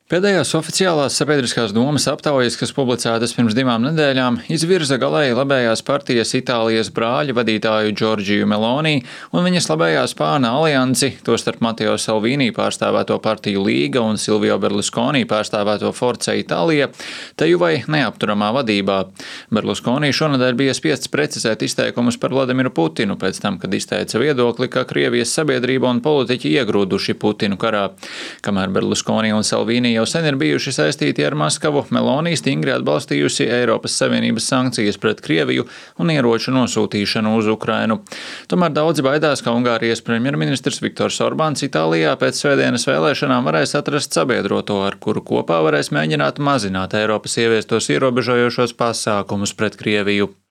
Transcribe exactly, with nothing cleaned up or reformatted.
Pēdējās oficiālās sabiedriskās domas aptaujas, kas publicētas pirms divām nedēļām, izvirza galēji labējās partijas Itālijas brāļu vadītāju Džordžiju Meloni un viņas labējā spārna aliansi, tostarp Matteo Salvini pārstāvēto partiju Līga un Silvio Berlusconi pārstāvēto Forza Itālija, teju vai neapturamā vadībā. Berlusconi šonadēļ bija spiests precizēt izteikumus par Vladimiru Putinu pēc tam, kad izteica viedokli, ka Krievijas sabiedrība un politiķi iegrūduši Putinu karā. Kamēr Berlusconi un Salvini jau sen ir bijuši saistīti ar Maskavu, Meloni stingri atbalstījusi Eiropas Savienības sankcijas pret Krieviju un ieroču nosūtīšanu uz Ukrainu. Tomēr daudzi baidās, ka Ungārijas premjerministrs Viktors Orbāns Itālijā pēc svētdienas vēlēšanām varēs atrast sabiedroto, ar kuru kopā varēs mēģināt mazināt Eiropas ieviestos ierobežojošos pasākumus pret Krieviju.